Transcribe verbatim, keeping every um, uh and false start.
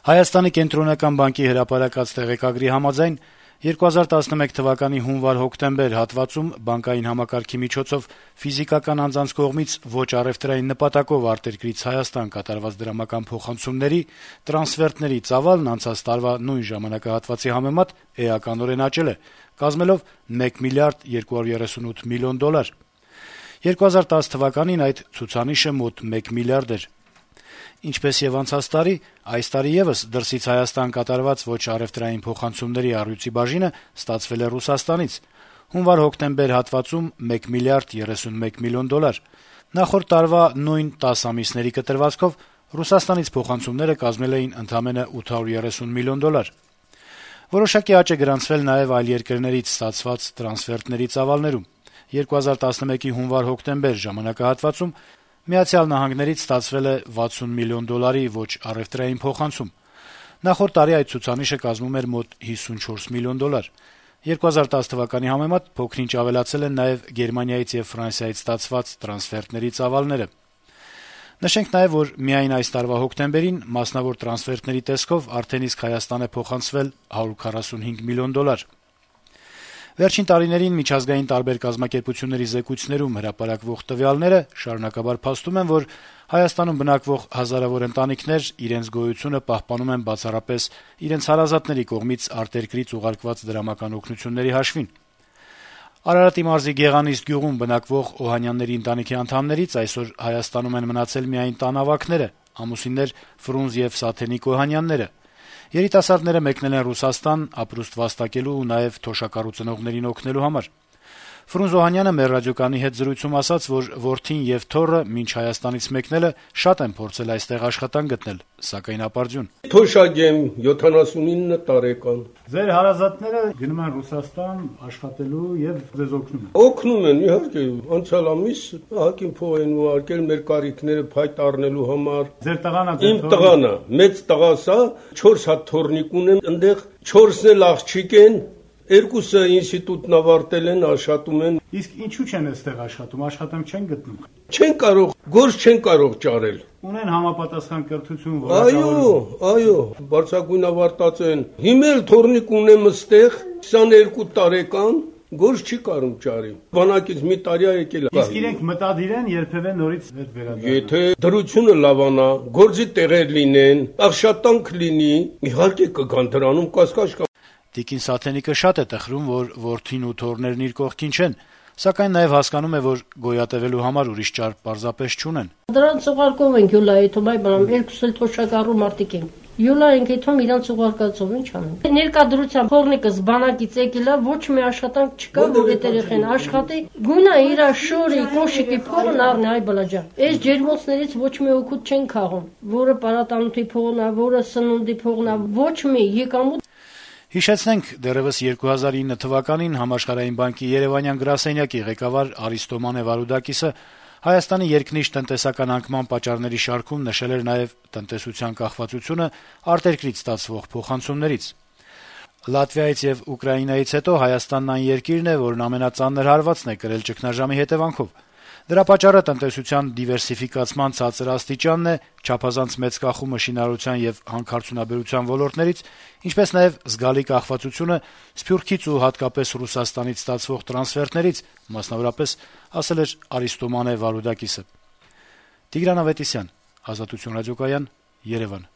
Հայաստանի կենտրոնական բանկի հրապարակած տեղեկագրի համաձայն երկու հազար տասնմեկ թվականի հունվար-հոկտեմբեր հատվածում բանկային համակարգի միջոցով ֆիզիկական անձանց կողմից ոչ առեւտրային նպատակով արտերկրից Հայաստան կատարված դրամական փոխանցումների տրանսֆերտների ծավալն անցած տարվա նույն ժամանակահատվածի համեմատ էականորեն աճել է, կազմելով մեկ միլիարդ երկու հարյուր երեսունութ միլիոն դոլար։ երկու հազար տասը թվականին այդ ցուցանիշը մոտ մեկ միլիարդ էր։ Ինչպես եւ անցած տարի, այս տարի եւս դրսից Հայաստան կատարված ոչ առեւտրային փոխանցումների առյուծի բաժինը ստացվել է Ռուսաստանից։ Հունվար-հոկտեմբեր հատվածում մեկ միլիարդ երեսունմեկ միլիոն դոլար։ Նախորդ տարվա նույն տասը ամիսների կտրվածքով Ռուսաստանից փոխանցումները կազմել էին ընդամենը ութ հարյուր երեսուն միլիոն դոլար։ Որոշակի աճ է գրանցվել նաեւ այլ երկրներից ստացված տրանսֆերտների ծավալներում։ երկու հազար տասնմեկի հունվար-հոկտեմբեր ժամանակահատվածում Միացյալ Նահանգներից ստացվել է վաթսուն միլիոն դոլարի ոչ առեւտրային փոխանցում։ Նախորդ տարի այդ ցուցանիշը կազմում էր մոտ հիսունչորս միլիոն դոլար։ երկու հազար տասը թվականի համեմատ փոքրինչ ավելացել են նաեւ Գերմանիայից եւ Ֆրանսիայից ստացված տրանսֆերտների ծավալները։ Նշենք նաեւ, որ միայն այս տարվա հոկտեմբերին մասնավոր տրանսֆերտների տեսքով արդեն իսկ Հայաստան է փոխանցվել հարյուր քառասունհինգ միլիոն դոլար։ Վերջին տարիներին միջազգային տարբեր կազմակերպությունների զեկույցներում հրապարակվող տվյալները շարունակաբար փաստում են, որ Հայաստանում բնակվող հազարավոր ընտանիքներ իրենց գոյությունը պահպանում են բացառապես իրենց հարազատների կողմից արտերկրից ուղարկված դրամական օգնությունների հաշվին։ Արարատի մարզի Գեղանիստ գյուղում բնակվող Օհանյանների ընտանիքի անդամներից այսօր Հայաստանում են մնացել միայն տանավակները, ամուսիններ Ֆրունզ եւ Սաթենիկ Օհանյանները։ Երիտասարդները մեկնել են Ռուսաստան ապրուստ վաստակելու ու նաեւ թոշակառու ծնողներին օգնելու համար։ Ֆրունզ Օհանյանը մեր ռադիոկայանի հետ զրույցում ասաց, որ որդին եւ թոռը մինչ Հայաստանից մեկնելը շատ են փորձել այստեղ աշխատանք գտնել, սակայն ապարդյուն։ Թոշակ եմ, յոթանասունինը տարեկան։ Ձեր հարազատները գնում են Ռուսաստան աշխատելու եւ ձեզ օգնում են։ Օգնում են, իհարկե, անցյալ ամիս հակին փող են ուղարկել մեր կարիքները փայտ առնելու համար։ Ձեր տղան է։ Իմ տղան է, մեծ տղաս է, չորս հատ թորնիկ ունեմ, այնտեղ չորսն էլ աղջիկ են։ Երկուսը ինստիտուտն ավարտել են, աշխատում են։ Իսկ ինչու չեն այստեղ աշխատում, աշխատանք չեն գտնում։ Չեն կարող, գործ չեն կարող ճարել։ Ունեն համապատասխան կրթություն, Այո, այո, բարձրագույն ավարտած են։ Հիմա էլ թորնիկ ունեմ այստեղ, քսաներկու տարեկան, գործ չի կարող ճարի։ Բանակից մի տարի է եկել։ Իսկ իրենք մտադիր են երբևէ նորից վերադառնալ։ Եթե դրությունը լավանա, գործի տեղեր լինեն, աշխատանք լինի, իհարկե կգան դրանում կասկած կա։ Տիկին Սաթենիկը շատ է տխրում, որ որդին ու թոռներն իր կողքին չեն, սակայն նաև հասկանում է, որ գոյատևելու համար ուրիշ ճար պարզապես չունեն։ Դրանց ուղարկում ենք Յուլայի թոմայ բանամ, երկուսը էլ թոշակառու մարդիկ են։ Յուլա ենք այդում իրանց ուղարկածով ինչ անեն։ Ներկայդրությամբ փողնիկս բանակից եկելա, ոչ մի աշխատանք չկա, որ այդ երեխեն աշխատի, գույնա իր շորի, կոշիկի փողն առնի, այ բլաջա։ Այս ջերմոցներից ոչ մի օգուտ չեն քաղում, որը պարատանութի փողն է, որը սնունդի փողն է, ոչ մի եկամուտ։ Հիշեցնենք, դեռևս երկու հազար ինը թվականին Համաշխարհային բանկի Երևանյան գրասենյակի ղեկավար Արիստոմանե Վարուդակիսը Հայաստանի երկնիշ տնտեսական անկման պատճառների շարքում նշել էր նաև տնտեսության կախվածությունը արտերկրից ստացվող փոխանցումներից։ Լատվիայից եւ Ուկրաինայից հետո Հայաստանն այն երկիրն է, որն ամենածանր հարվածն է կրել ճգնաժամի հետևանքով։ Դրա պատճառը տնտեսության դիվերսիֆիկացման ցածր աստիճանն է, չափազանց մեծ կախումը շինարարության եւ հանքարդյունաբերության ոլորտներից, ինչպես նաեւ զգալի կախվածությունը Սփյուռքից ու հատկապես Ռուսաստանից ստացվող տրանսֆերտներից, մասնավորապես, ասել էր Արիստոմանե Վարուդակիսը։ Տիգրան Ավետիսյան, Ազատություն ռադիոկայան, Երևան։